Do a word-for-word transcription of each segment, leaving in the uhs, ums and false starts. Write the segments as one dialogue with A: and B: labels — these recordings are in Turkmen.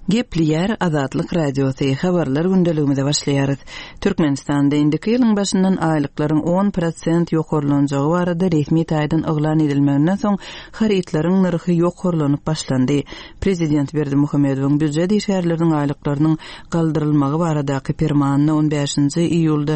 A: Gepleýär Azatlyk Radiosy, Habarlar gündeligimize başlaýarys. Türkmenistanda indiki ýylyň başyndan aýlyklaryň on prosent ýokarlanjagy barada resmi taýdan yglan edilmeginden soň harytlaryň nyrhy ýokarlanyp başlandy. Prezident Berdimuhamedowyň býujet işgärleriniň aýlyklarynyň galdyrylmagy baradaky permanyna on bäşinji iýulda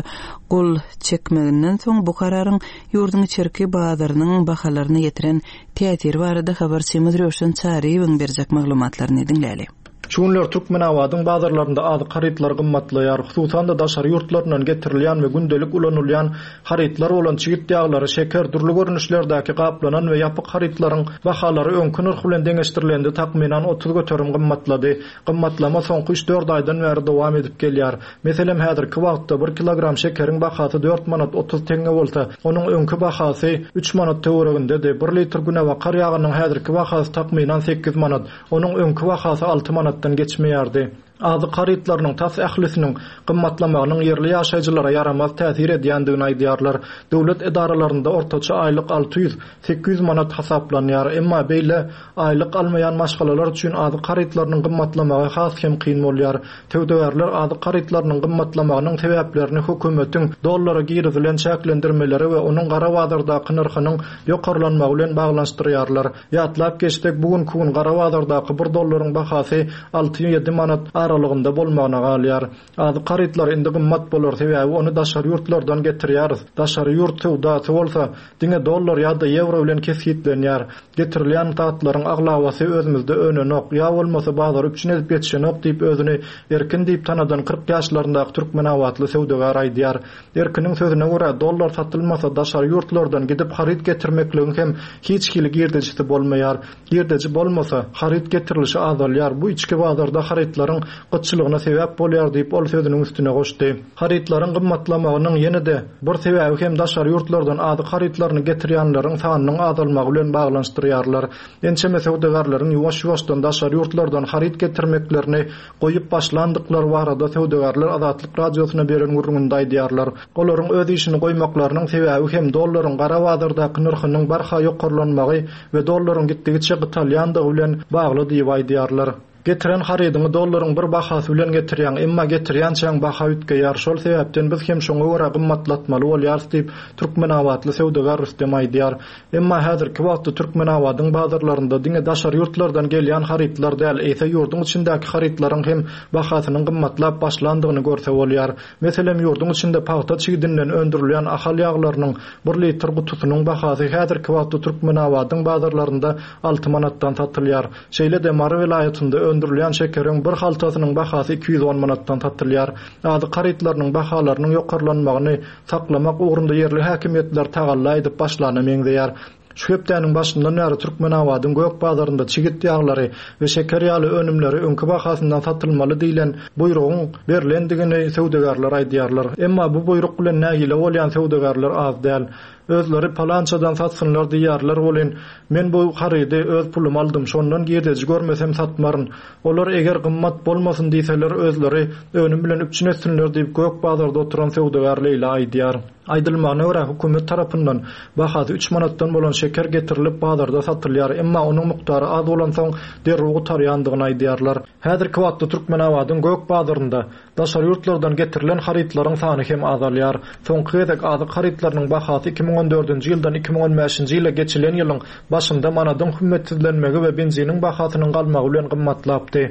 A: gol çekmeginden soň bu kararyň ýurduň içerki bazarynyň bahalaryna ýetiren täsiri barada habarçymyz Röwşen Çaryýewiň berjek maglumatlaryny diňläli.
B: Şu günler Türkmenabadyň bazarlarynda azyk harytlar gymmatlaýar. Hususan-da daşary ýurtlaryndan getirilýän we gündelik ulanylýan harytlar bolan çigit ýaglary, şeker, dürli görnüşlerdäki gaplanan we ýapyk harytlaryň bahalary öňki nyrh bilen deňeşdirilende takmynan otuz göterim gymmatlady. Gymmatlama soňky üç-dört aýdan bäri dowam edip gelýär. Meselem, häzirki wagtda bir kilogram şekeriň bahasy dört manat otuz teňňe bolsa, onuň öňki bahasy üç manat töweregindedi. Bir litr günebakar ýagynyň häzirki bahasy takmynan sekiz manat, onuň öňki bahasy alty manatdan geçmeýärdi. Azyk harytlarynyň tas ählisiniň gymmatlamagynyň ýerli ýaşaýjylara ýaramaz täsir edýändigini aýdýarlar. Döwlet edaralarynda ortaça aýlyk alty ýüz, sekiz ýüz manat hasaplanýar. Emma beýle aýlyk almaýan maşgalalar üçin azyk harytlarynyň gymmatlamagy has hem kyn bolýar. Söwdagärler azyk harytlarynyň gymmatlamagynyň sebäplerini hökümetiň dollara girizilen çäklendirmeleri we onuň gara bazardaky nyrhynyň ýokarlanmagy bilen baglanyşdyrýarlar. Ýatlap geçsek, bu günki gün gara bazardaky bir dollaryň bahasy alty ýedi manat aralygynda bolmagyna galýar. Azyk harytlary indi gymmat bolar, sebäbi ony daşary ýurtlardan getirýäris. Daşary ýurt söwdasy bolsa diňe dollar ýa-da ýewro bilen kesgitlenýär. Getirilýän zatlaryň aglabasy özümizde önenok, ýa bolmasa bazary üpjün edip ýetişenok diýip özüni Erkin diýip tanadan kyrk ýaşlaryndaky Türkmenabatly söwdagär aýdýar. Erkiniň sözüne görä, dollar satylmasa daşary ýurtlardan gidip haryt getirmekligiň hem hiç hili girdejisi bolmaýar. Girdeji bolmasa, haryt getirilişi azalýar. Bu içki bazarda harytlaryň gytçylygyna sebäp bolýar diýip ol sözüniň üstüne goşdy. Harytlaryň gymmatlamagynyň ýene-de bir sebäbi hem daşary ýurtlardan azyk harytlaryny getirýänleriň sanynyň azalmagy bilen baglanyşdyrýarlar. Ençeme söwdagärleriň ýuwaş-ýuwaşdan daşary ýurtlardan haryt getirmeklerini goýup başlandyklary barada söwdagärler Azatlyk Radiosyna beren gürrüňinde aýdýarlar. Olaryň öz işini goýmaklarynyň sebäbi hem dollaryň gara bazardaky nyrhynyň barha ýokarlanmagy we dollaryň gitdigiçe gytalýandygy bilen bagly diýip aýdýarlar. Getiren harydyňy dollaryň bir bahasy bilen getirýäň, emma getirýänçäň baha üýtgeýär. Şol sebäpden biz hem şoňa görä gymmatlatmaly bolýarys diýip Türkmenabatly söwdagär Rüstem aýdýar. Emma häzirki wagtda Türkmenabadyň bazarlarynda diňe daşary ýurtlardan gelýän harytlar däl, eýse ýurduň içindäki harytlaryň hem bahasynyň gymmatlap başlandygyny görse bolýar. Meselem, ýurduň içinde pagta çigidinden öndürilýän ahal ýaglarynyň bir litr gutusynyň bahasy häzirki wagtda Türkmenabadyň bazarlarynda alty manatdan satylýar. Şeýle-de Mary welaýatynda öndürilýän şekeriň bir haltasynyň bahasy iki ýüz on manatdan satylýar. Azyk harytlarynyň bahalarynyň ýokarlanmagyny saklamak ugrunda ýerli häkimiýetler tagalla edip başlana meňzeýär. Şu hepdäniň başyndan bäri Türkmenabadyň gök bazarynda çigit ýaglary we şeker ýaly önümleri öňki bahasyndan satylmaly diýlen buýrugyň berlendigini söwdagärler aýdýarlar. Emma bu buýruk bilen nägile bolýan söwdagärler az däl. Özleri palançadan satsynlar diýýärler bolin, men bu harydy öz pulum aldym, şondan girdeji görmesem satmaryn. Olar eger gymmat bolmasyn diýseler özleri önüm bilen üpjün etsinler diýip gök bazarda oturan söwdagär Leýla aýdýar. Aýdylmagyna görä hökümet tarapyndan bahasy üç manatdan bolan şeker getirilip bazarda satylýar, emma onuň mukdary az bolansoň derrew gutarýandygyny aýdýarlar. Häzirki wagtda Türkmenabadyň gök bazarynda daşary ýurtlardan getirilen harytlaryň sany hem azalýar. Soňky gezek azyk harytlarynyň bahasy iki müň on dördünji ýyldan iki müň on bäşinji ýyla geçilen ýylyň başynda manadyň hümmetsizlenmegi we benziniň bahasynyň galmagy bilen gymmatlapdy.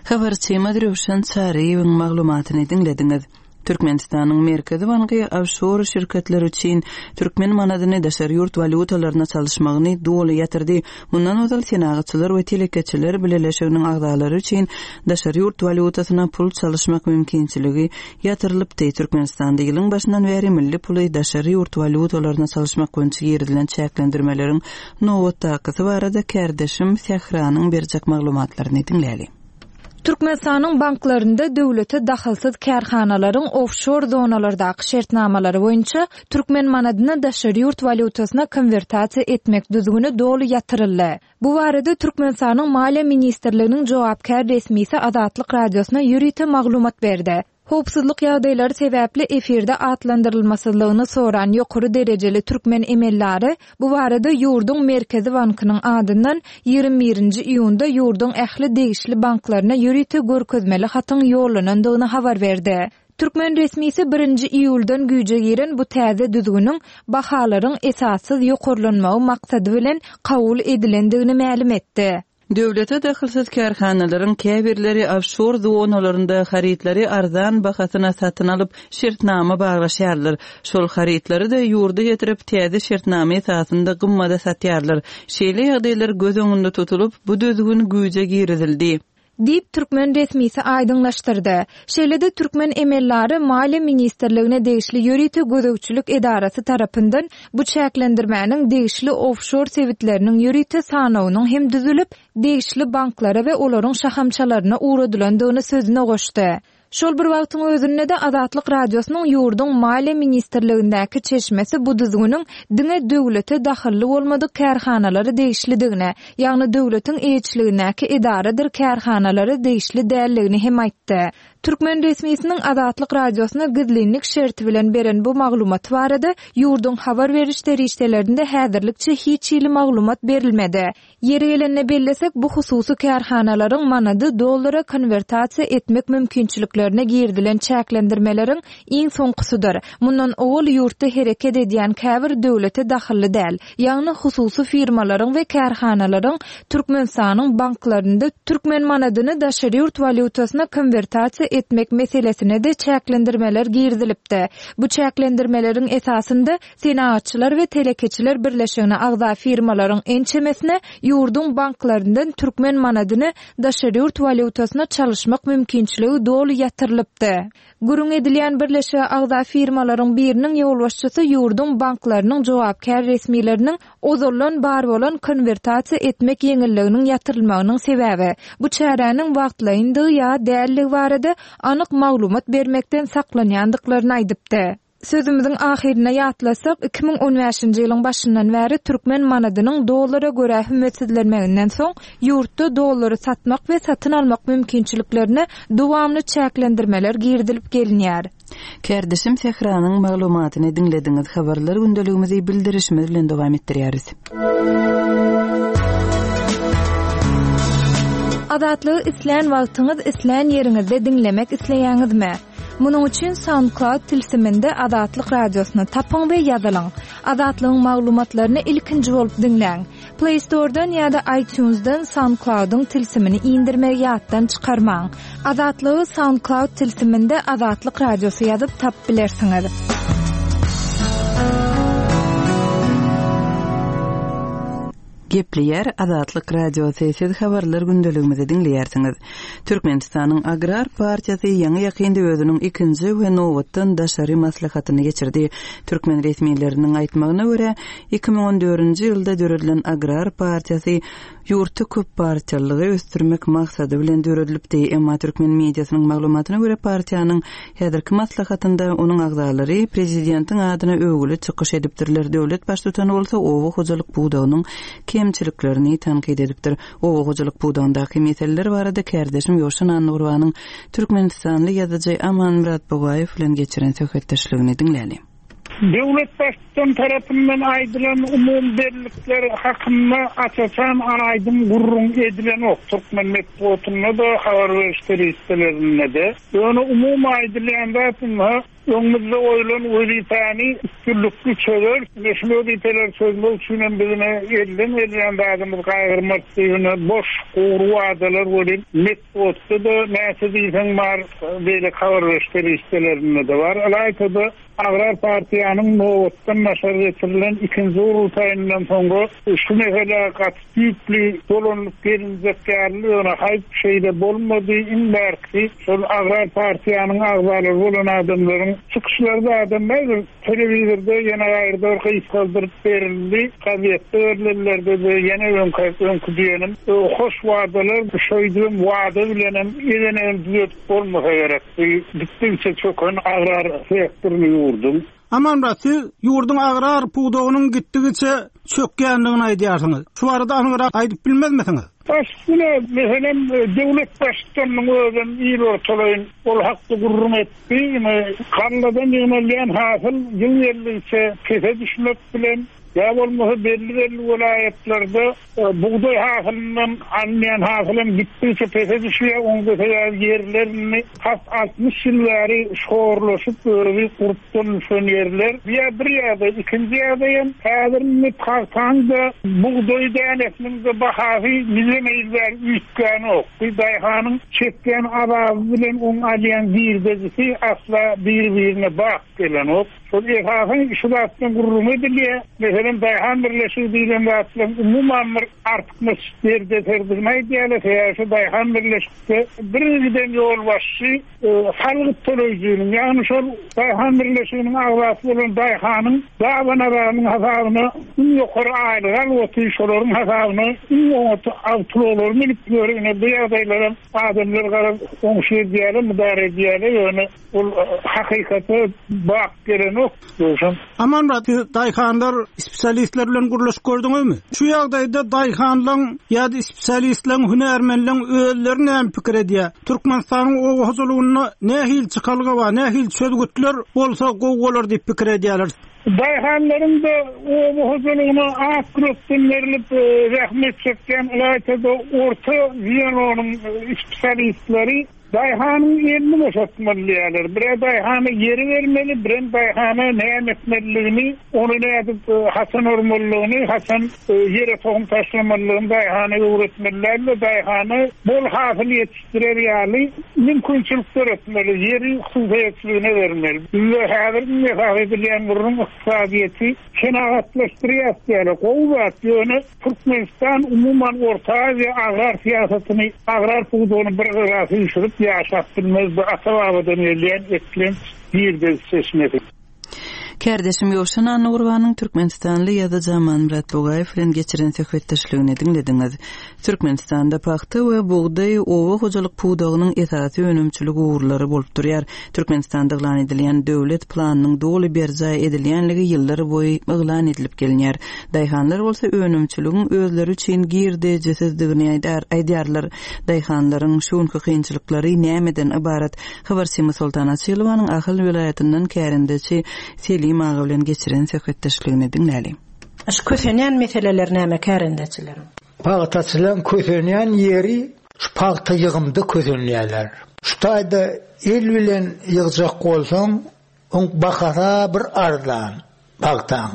A: Habarçymyz Röwşen Çaryýewiň maglumatyny diňlediňiz. Türkmenistanyň Merkezi Banky offshore şirketleri üçin türkmen manadyny daşary ýurt walýutalaryna çalyşmagyny doly ýatyrdy. Mundan ozal senagatçylar we telekeçiler bileleşiginiň agzalary üçin daşary ýurt walýutasyna pul çalyşmak mümkinçiligi ýatyrylypdy. Türkmenistanda ýylyň başyndan bäri milli puly daşary ýurt walýutalaryna çalyşmak boýunça girizilen çäklendirmeleriň nobatdakysy barada kärdeşim Sähranyň berjek maglumatlaryny diňläli.
C: Türkmenistanyň banklarynda döwlete dahylsyz kärhanalaryň offshore zonalardaky şertnamalary boýunça türkmen manadyny daşary ýurt walýutasyna konwertasiýa etmek düzgüni doly ýatyryldy. Bu barada Türkmenistanyň Maliýe ministrliginiň jogapkär resmisi Azatlyk Radiosyna ýörite maglumat berdi. Howpsuzlyk ýagdaýlary sebäpli efirde atlandyrylmasyzlygyny soran ýokary derejeli türkmen emellary bu barada ýurduň Merkezi bankynyň adyndan ýigrimi birinji iýunda ýurduň ähli degişli banklaryna ýörite görkezmeli hatyň ýollanandygyny habar berdi. Türkmen resmisi birinji iýuldan güýje giren bu täze düzgüniň bahalaryň esassyz ýokarlanmagy maksady bilen kabul edilendigini mälim etdi.
A: Döwlete dahylsyz kärhanalaryň käbirleri ofşor zonalarynda harytlary arzan bahasyna satyn alyp, şertnama baglaşýarlar. Şol harytlary-da ýurda getirip, täze şertnama esasynda gymmada satýarlar. Şeýle ýagdaýlar göz öňünde tutulyp, bu düzgün güýje girizildi.
C: Diýip, türkmen resmisi aýdyňlaşdyrdy. Şeýle-de türkmen emellary Maliýe ministrligine degişli ýörite gözegçilik edarasy tarapyndan bu çäklendirmäniň degişli ofşor sebitleriniň ýörite sanawynyň hem düzülip, degişli banklara we olaryň şahamçalaryna ugradylandygyny sözüne goşdy. Şol bir wagtyň özünde-de Azatlyk Radiosynyň ýurduň Maliýe ministrligindäki çeşmesi bu düzgüniň diňe döwlete dahylly bolmadyk kärhanalara degişlidigini, ýagny döwletiň eýeçiligindäki edaradyr kärhanalara degişli däldigini hem aýtdy. Türkmen resmisiniň Azatlyk Radiosyna gizlinlik şerti bilen beren bu maglumaty barada ýurduň habar beriş serişdelerinde häzirlikçe hiç hili maglumat berilmedi. Ýeri gelende bellesek, bu hususy kärhanalaryň manady dollara konwertasiýa etmek mümkinçiliklerine girizilen çäklendirmeleriň iň soňkusydyr. Mundan owal ýurtda hereket edýän käbir döwlete dahylly däl, ýagny hususy firmalaryň we kärhanalaryň Türkmenistanyň banklarynda türkmen manadyny daşary ýurt walýutasyna konwertasiýa etmek meselesine-de çäklendirmeler girizilipdi. Bu çäklendirmeleriň esasynda Senagatçylar we telekeçiler birleşigine agza firmalaryň ençemesine ýurduň banklaryndan türkmen manadyny daşary ýurt walýutasyna çalyşmak mümkinçiligi doly ýatyrylypdy. Gürrüň edilýän birleşige agza firmalaryň biriniň ýolbaşçysy ýurduň banklarynyň jogapkär resmileriniň ozaldan bar bolan konwertasiýa etmek ýeňilliginiň ýatyrylmagynyň sebäbi, bu çäräniň wagtlaýyndygy ýa däldigi barada anyk maglumat bermekden saklanýandyklaryny aýdypdy. Sözümiziň ahyrynda ýatlasak, iki müň on bäşinji ýylyň başyndan bäri türkmen manadynyň dollara görä hümmetsizlenmeginden soň, ýurtda dollary satmak we satyn almak mümkinçiliklerine dowamly çäklendirmeler girizilip gelinýär.
A: Kärdeşim Sähranyň maglumatyny diňlediňiz. Habarlar gündeligimizi bildirişimiz bilen dowam etdirýäris.
C: Azatlygy islän wagtyňyz, islän ýeriňizde diňlemek isleýäňizmi? Munuň üçin SoundCloud tilsiminde Azatlyk Radiosyny tapyň we ýazylyň. Azatlygyň maglumatlaryny ilkinji bolup diňläň. Play Store-dan ýa-da iTunes-dan SoundCloud-yň tilsimini indirmegi ýatdan çykarmaň. Azatlygy SoundCloud tilsiminde Azatlyk Radiosy ýazyp tapyp bilersiňiz.
A: Gepleýär Azatlyk Radiosy, siz habarlar gündeligimizi diňleýärsiňiz. Türkmenistanyň Agrar partiýasy ýaňy ýakynda özüniň ikinji we nobatdan daşary maslahatyny geçirdi. Türkmen resmileriniň aýtmagyna görä, iki müň on dördünji ýylda döredilen Agrar partiýasy ýurtda köp partiýalylygy ösdürmek maksady bilen döredilipdi. Emma türkmen mediasynyň maglumatyna görä, partiýanyň häzirki maslahatynda onuň agzalary prezidentiň adyna öwgüli çykyş edipdirler. Döwlet baştutany bolsa oba hojalyk pudagynyň kemçiliklerini tankyt edipdir. Oba hojalyk pudagyndaky meseleler barada kärdeşim Ýowşan Annagurbanyň Türkmenistanly ýazyjy Amanmyrat Bugaýew bilen geçiren söhbetdeşligini diňläli.
D: Döwlet baştutan tarapyndan aýdylan umum bellikler hakynda aç-açan aýdyň gürrüň edilen ok. Türkmen metbugatynda da habar beriş serişdelerinde de. Ýöne umum aýdylýan zatynda öňümizde goýlan wezipäni üstünlikli çözer, şu wezipeleri çözmek üçin hem bizine elden gelýän zadymyz gaýgyrmak diýene boş gowry wadalar welin metbugatda da näçe diýseň bar, beýle habar beriş serişdelerinde de bar. Ylaýta-da Agrar partiýanyň nobatdan daşary geçirilen ikinji gurultaýyndan soňra şu mesele gaty düýpli dolanyp gelinjek ýaly, ýöne haýp şeýle bolmady. Iň bärkisi şol Agrar partiýanyň agzalary bolan adamlaryň çykyşlary da adamlar telewizorda ýene gaýry gysgaldyryp berildi. Gazetde berlenlerde de ýene öňki, öňki diýenim, hoş wadalar, şeýdibem wada bilenem edenem düzetip bolmasa gerek. Gitdikçe çöken agrar sektoryny ýurdum.
E: Amanmyrat, siz ýurduň agrar pudagynyň gitdigiçe çökýändigini aýdýarsyňyz. Şu barada anygyrak aýdyp bilmezmisiňiz?
D: Baş üstüne, meselem, döwlet baştutanynyň özem il ortalaýyn ol hakda gürrüň etdi. Ine, galladan ýygnalýan hasyl ýyl geldigiçe pese düşmek bilen, ýa bolmasa belli-belli welaýatlarda bugdaý hasylyndan alynýan hasylam gitdigiçe pese düşýär. Oň da sebäbi ýerlerini has altmyş ýyl bäri şorlaşyp, özi gurpdan düşen ýerler. Ýa bir ýagdaý, ikinji ýagdaýam häzir indi pagtaň-da bugdaý dänesiniň-de bahasy nijeme ýyl bäri üýtgänok. Bu daýhanyň çekýän azaby bilen oň alýan girdejisi asla bir-birine bak gelenok. Şol esasan şu zatdan gürrüň edilýär. Meselem, daýhan birleşigi diýlen zatlaryň umuman bir artykmaç derdeserdigini aýdýarlar. Sebäbi şu daýhan birleşikde bir giden ýolbaşçy, e, salgyt töleýjiniň, ýagny şol daýhan birleşiginiň agzasy bolan daýhanyň dabanaragynyň hasabyna iň ýokary aýlyk alyp otyr, şolaryň hasabyna iň oňat awtoulaglar münüp ýör. Ine, bu ýagdaýlara adamlar garap oňşy edýärler, mudar edýärler, ýöne ol, e, hakykata bak gelenok, Ýowşan.
E: Amanmyrat, siz daýhanlar, spesialistler bilen gürleşip gördüňizmi? Şu ýagdaýda daýhanlaryň ýa-da spesialistleriň, hünärmenleriň özleri näme pikir edýär? Türkmenistanyň oba hojalygynda nähili çykalga bar, nähili çözgütler bolsa gowy bolar diýip pikir edýärler?
D: Daýhanlaryň da oba hojalygyna ak ýürekden berilip, e, zähmet çekýän ylaýta-da orta zwenonyň, e, spesialistleri daýhanyň elini boşatmaly diýýärler. Bire daýhana ýeri bermeli, birem daýhana näme etmeliligini, ony nädip, e, haçan ormalylygyny, haçan, e, ýere tohum taşlamalylygyny daýhana öwretmeliler, daýhana bol hasyl ýetişdirer ýaly mümkinçilik döretmeli, ýeri hususyýetçiligine bermeli. Bizde häzir iň esasy edilýän gürrüň ykdysadyýeti senagatlaşdyrýar diýýärler. Gowy zat, ýöne Türkmenistan umuman Orta Aziýa agrar syýasatyny, agrar pudagyny bir gyra süýşürip ýaşap bilmez. Bu ata-babadan gelýän eklenç girdeji çeşmesi.
A: Kärdeşim Ýowşan Annagurbanyň Türkmenistanly ýazyjy Amanmyrat Bugaýew bilen geçiren söhbetdeşligini diňlediňiz. Türkmenistanda pagta we bugdaý oba hojalyk pudagynyň esasy önümçilik ugurlary bolup durýar. Türkmenistanda yglan edilýän döwlet planynyň doly berjaý edilýänligi ýyllar boýy yglan edilip gelinýär. Daýhanlar bolsa önümçiligiň özleri üçin girdejisizdigini aýdar, aýdýarlar. Daýhanlaryň şu günki kynçylyklary nämeden ybarat? Habarçymyz Soltan Açylowanyň Ahal welaýatyndan kärendeçi Selim aga bilen geçiren söhbetdeşligini diňläli.
F: Şu kösenýän meseleler näme kärendeçileriň?
G: Pagtaçylaryň kösenýän ýeri şu pagta ýygymda kösenýärler. Şu taýda el bilen ýygjak bolsaň, oň bahasy bir arzan pagtaň.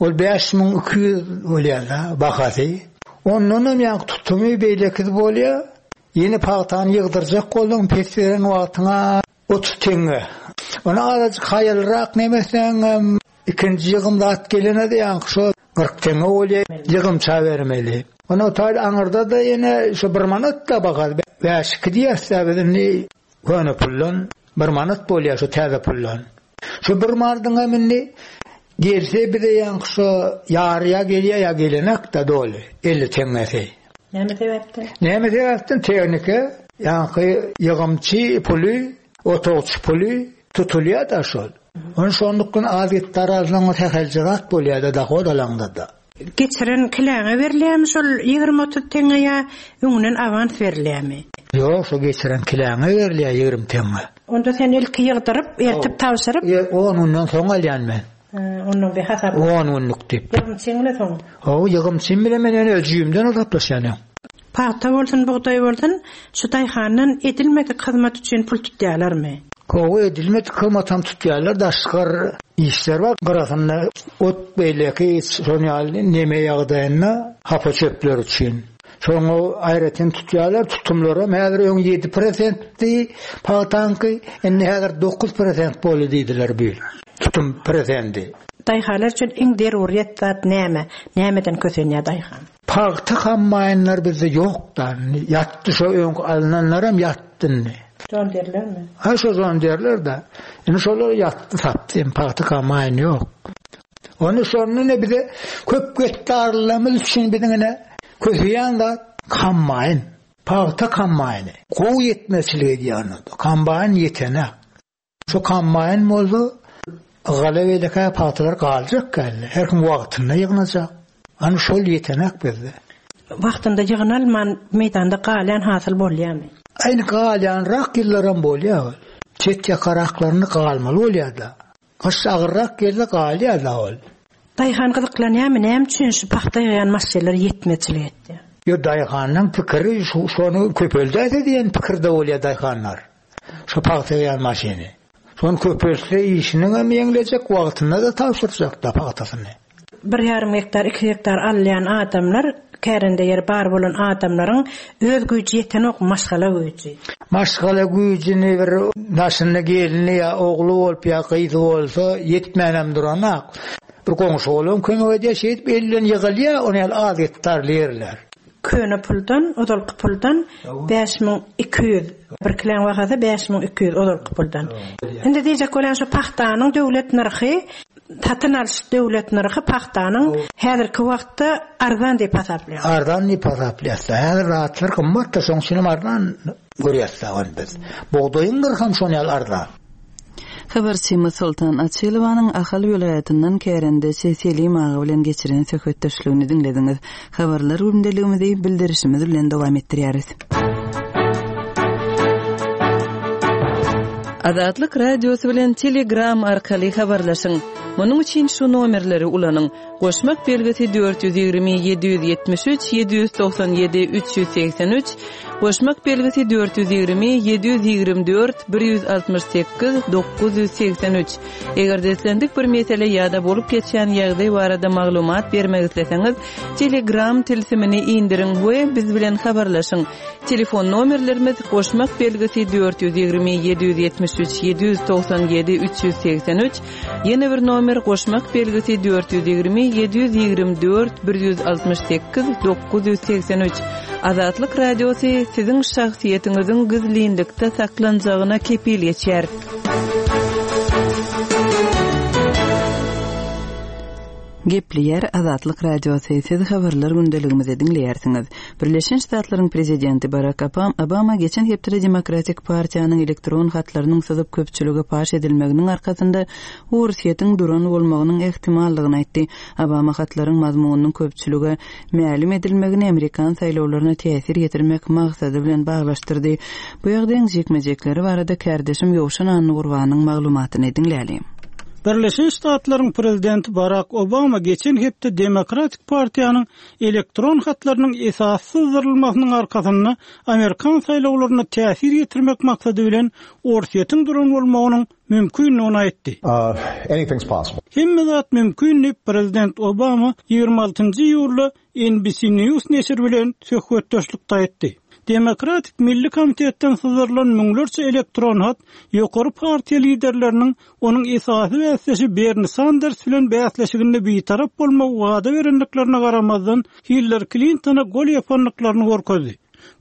G: Ol bäş müň iki ýüz bolýar da bahasy. Ondan hem ýaňky tutumy beýlekisi bolýar. Ýene pagtany ýygdyrjak bolsaň, pes beren wagtyňa otuz teňňe. Ony azajyk haýalrak nemeseň, ikinji ýygym zat gelene de ýaňky şo kyrk teňňe bolýar, ýygymça bermeli. Ony taýda aňyrda da ýene şo bir manat da bahasy bäş iki diýerse, biz indi köne puldan bir manat bolýar şo täze puldan. Şo bir manadyň hem indi gelse bize ýaňky şo ýaryýa gelýär ýa gelenek da doly elli teňňesi.
F: Näme sebäpden?
G: Näme sebäpden? Tehnike, ýaňky ýygymçy puly, otagçy puly tutulýar da şol. Ony şonlukdan az gektar alsaň, o sähelçe zat bolýar da, dahod alaňda da.
F: Geçiren kiläňe berilýärmi şol ýigrimi otuz teňňe ýa öňünden awans berilýärmi?
G: Ýok, şo geçiren kiläňe berilýär ýigrimi teňňe.
F: Onda sen ilki ýygdyryp, ertip tabşyryp?
G: Ýa, on günden soň alýan men.
F: Ha, ondan bir hasap.
G: On günlük diýip.
F: Ýygymçyň bilen soň?
G: Hawa, ýygymçym bilen men ýöne öjüýimden hasaplaşýan.
F: Pagta bolsun, bugdaý bolsun, şu daýhandan edilmedik hyzmat üçin pul tutýarlarmy?
G: Hawa, edilmedik hyzmat hem tutýarlar, daşgar işler bar, gyrasynda ot beýleki şon ýaly neme ýagdaýynda hapa çöpler üçin. Şoňa aýratyn tutýarlar, tutumlara häzir öň ýedi prosentdi pagtaňky, indi häzir dokuz prosent boldy diýdiler bu ýyl. Tutum prosendi.
F: Daýhanlar üçin iň zeruriyet zat näme? Nämeden kösenýär daýhan?
G: Pagta kombaýnlar bizde ýok da. Ýatdy şo öň alynanlar hem ýatdy indi.
F: Jon derlermi?
G: Ha, şo jon derler da. Indi şolar ýatdy sapdy, pagta kombaýn ýok. Ony şonda ne bize köp gektarlarymyz üçin biziň ine köseýän zat kombaýn, pagta kombaýny. Gowy ýetmezçilik edýär onda. Kombaýn ýetene. Şu kombaýn bolsa, gala beýleki pagtalar galjak geldi. Her kim wagtynda ýygnajak. Ani şol ýetenek bizde.
F: Wagtynda ýygnalman meýdanda galýan hasyl bolýarmy?
G: Aýny galýan rak ýyllaram bolýar. Çet ýakaraklaryny galmaly bolýar-da. Gyş agyrrak gelse galýar-da ol.
F: Daýhan gyzyklanýarmy, näme üçin şu pagta ýygýan maşynlar ýetmezçilik etdi?
G: Yo daýhanyň pikiri şu şonu köpeldäse diýen pikirde bolýar daýhanlar. Şu pagta ýygýan maşyny. Şonu köpelse işiniň hem ýeňlejek wagtynda da tabşyrjak da pagtasyny.
F: Bir ýarym gektar, iki gektar alýan adamlar, kärende ýeri bar bolan adamlaryň öz güýji ýetenok, maşgala güýji.
G: Maşgala güýjüni bir daşynda gelini ýa ogly bolup ýa gyzy bolsa ýetmänem duranak. Bir goňşy bolan kömek edýär, şeýdip elden ýygylýar, ony ýaly az gektarly ýerler.
F: Köne puldan, ozalky puldan bäş müň iki ýüz, bir kiloň bahasy bäş müň iki ýüz ozalky puldan. Indi diýjek bolýan şu pagtanyň döwlet nyrhy, satyn alyş döwlet nyrhy pagtanyň häzirki wagtda arzan diýip hasaplaýar.
G: Arzan diýip hasaplaýar. Häzir zatlar gymmat da, şoň üçin hem arzan görýäs biz. Bugdaýyň nyrhy hem şoň ýaly arzan.
A: Habarçymyz Soltan Açylowanyň Ahal welaýatyndan kärendeçi Selim aga bilen geçiren söhbetdeşligini diňlediňiz. Habarlar gündeligimizi bildirişimiz bilen dowam etdirýäris. Azatlyk radiosy bilen Telegram arkaly habarlaşyň. Munuň üçin şu nomerleri ulanyň. Goşmak belgisi dört ýüz ýigrimi ýedi ýüz ýetmiş üç ýedi ýüz togsan ýedi üç ýüz segsen üç, goşmak belgisi dört ýüz ýigrimi ýedi ýüz ýigrimi dört bir ýüz altmyş sekiz dokuz ýüz segsen üç. Eger islendik bir mesele ýa-da bolup geçýän ýagdaý barada maglumat bermek isleseňiz, Telegram tilsimini indiriň we biz bilen habarlaşyň. Telefon nomerlerimiz goşmak belgisi dört ýüz ýigrimi ýedi ýüz ýetmiş üç ýedi ýüz togsan ýedi üç ýüz segsen üç, ýene bir nomer goşmak belgisi dört ýüz ýigrimi ýedi ýüz ýigrimi dört bir ýüz altmyş sekiz dokuz ýüz segsen üç. Azatlyk radiosy siziň şahsyýetiňiziň gizlinlikde saklanjagyna kepil geçer. Geplýär Azatlyk radiosy, siz habarlar gündeligimizi diňleýärsiňiz. Birleşen Ştatlaryň prezidenti Barack Obama geçen hepdede Demokratik partiýanyň elektron hatlarynyň syzyp köpçülige paş edilmeginiň arkasynda Orsýetiň duran bolmagynyň ähtimallygyny aýtdy. Obama hatlaryň mazmunynyň köpçülige mälim edilmegini Amerikan saýlawlaryna täsir ýetirmek maksady bilen baglaşdyrdy. Bu ýagdaýyň jikme-jikleri barada kärdeşim Ýowşan Annagurbanyň maglumatyny diňläli.
E: Birleşen Ştatlaryň prezidenti Barack Obama geçen hepde Demokratik partiýanyň elektron hatlarynyň esassyz syzdyrylmasynyň arkasynda Amerikan saýlawlaryna täsir ýetirmek maksady bilen Orsýetiň duran bolmagynyň mümkinligini aýtdy.
H: Uh, anything's possible.
E: Hemme zat mümkin diýip prezident Obama ýigrimi altynjy iýulda N B C News neşiri bilen söhbetdeşlikde aýtdy. Demokratik Milli Komitetden syzdyrylan müňlerçe elektron hat ýokary partiýa liderleriniň onuň esasy bäsdeşi Bernie Sanders bilen bäsleşiginde bitarap bolmagy wada berendiklerine garamazdan Hillary Clintona gol ýapandyklaryny görkezdi.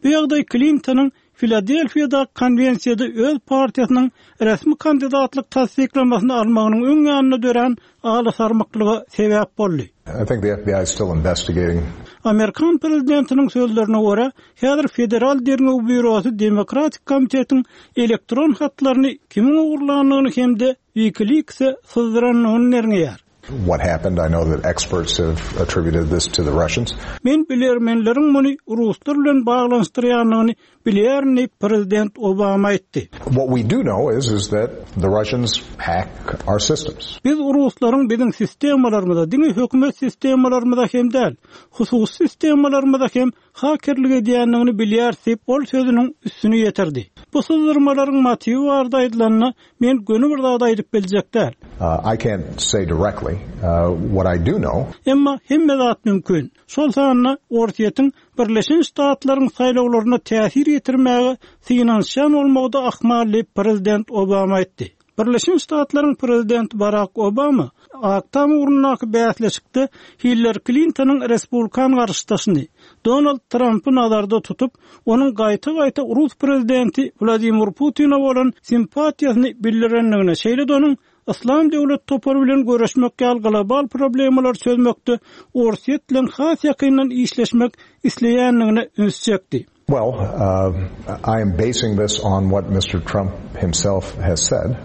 E: Bu ýagdaý Clintonyň Filadelfiýada konwensiýada öz partiýasynyň resmi kandidatlyk tassyklamasyny almagynyň öň ýanynda dörän aly sarmyklyga sebäp boldy.
H: I think the F B I is still investigating.
E: Amerikan prezidentiniň sözlerine görä, häzir Federal Derňew Býurosy Demokratik Komitetiň elektron hatlaryny kimiň ogurlandygyny hem-de WikiLeaks-e syzdyrandygyny derňeýär.
H: What happened? I know that experts have attributed this to the Russians.
E: Men bilermenleriň muny Ruslar bilen baglanyşdyrýandygyny bilýärin diýip prezident Obama aýtdy.
H: What we do know is, is that the Russians hack our systems.
E: Biz Ruslaryň biziň sistemalarymyza, diňe hökümet sistemalarymyza hem däl, hususy sistemalarymyza hem hakerlik edýändigini bilýäris diýip ol sözüniň üstüni ýetirdi. Bu syzdyrmalaryň motiwi barada aýdylanda men göni bir zat aýdyp biljek däl.
H: Uh, I can't say directly, uh, what I do know.
E: Emma hemme zat mümkin. Şol sanda Orsýetiň Birleşen Ştatlaryň saýlawlaryna täsir ýetirmäge synanyşýan bolmagy da ahmal diýip prezident Obama aýtdy. Birleşen Ştatlaryň prezidenti Barack Obama Ak Tam ugrundaky bäsleşikde Hillary Clintonyň respublikan garşydaşyny Donald Trumpy nazarda tutup, onuň gaýta-gaýta Rus prezidenti Wladimir Putina bolan simpatiýasyny bildirendigine, şeýle-de onuň Islam döwlet topary bilen görüşmek ýaly global problemalar çözmekde Orsýet bilen has ýakyndan işleşmek isleýändigine üns çekdi.
H: Well, uh, I am basing this on what Mister Trump himself has said.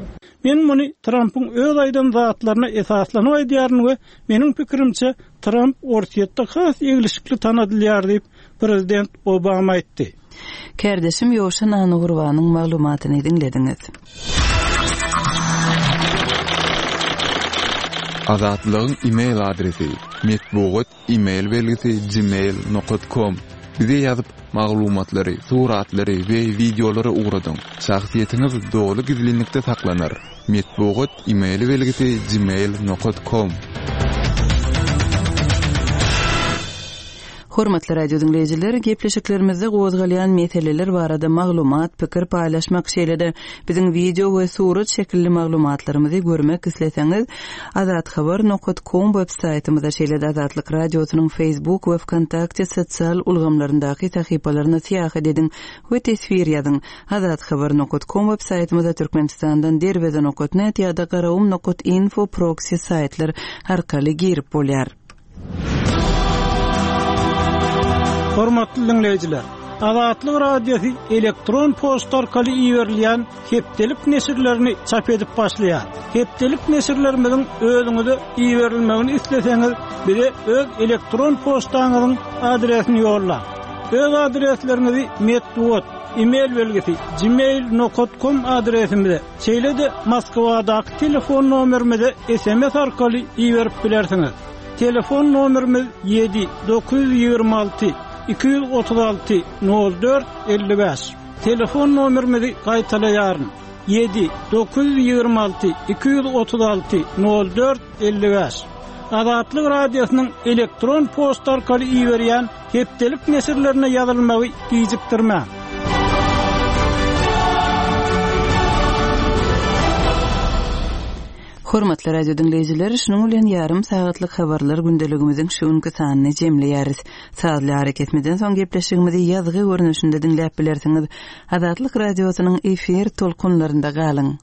E: Men muny Trumpyň öz aýdan zatlaryna esaslanyp aýdýaryn we meniň pikirimçe Trump Orsýetde has eglişikli tanadylýar diýip prezident Obama aýtdy.
A: Kärdeşim Ýowşan Annagurbanyň maglumatyny diňlediňiz.
I: Azatlygyň e-mail adresi metbugat e-mail belgisi gmail.com Bize ýazyp maglumatlary, suratlary we wideolary ugradyň. Şahsyýetiňiz doly gizlinlikde saklanar. Metbugat e-mail belgisi gmail.com
A: Hormatly radio diňleýjiler, gepleşiklerimizde gozgalýan meseleler barada maglumat, pikir paýlaşmak şeýle-de biziň wideo we surat şekilli maglumatlarymyzy görmek isleseňiz, azathabar.com web saýtymyza şeýle-de Azatlyk radiosynyň Facebook we VKontakte sosial ulgamlaryndaky sahypalaryna syýahat ediň we teswir ýazyň. azathabar.com web saýtymyza Türkmenistandan derweze.net ýa-da garawum.info proxy saýtlar arkaly girip bolýar.
E: Hormatly dinleýjiler, Azatlyk Radiosy elektron poçta arkaly iberilýän hepdelik neşirlerini çap edip başlaýar. Hepdelik neşirlerimiziň özüňize iberilmegini isleseňiz, bize öz elektron poçtaňyzyň adresini ýollaň. Öz adresleriňizi metbugat, e-mail belgisi gmail.com adresimize, şeýle-de Moskwadaky telefon nomerimize SMS arkaly iberip bilersiňiz. Telefon nomerimiz ýedi dokuz ýüz ýigrimi alty iki ýüz otuz alty nol dört elli bäş. Telefon nomerimizi gaýtalaýaryn. Ýedi dokuz ýüz ýigrimi alty iki ýüz otuz alty nol dört elli bäş. Azatlyk Radiosynyň elektron poçta arkaly iberýän hepdelik neşirlerine ýazylmagy gijikdirmäň.
A: Hormatly radio diňleýjiler, şunuň bilen ýarym sagatlyk habarlar gündeligimiziň şu günki sanyny jemleýäris. Sazly arakesmeden soň gepleşigimizi ýazgy görnüşinde diňläp bilersiňiz. Azatlyk radiosynyň efir tolkunlarynda galyň.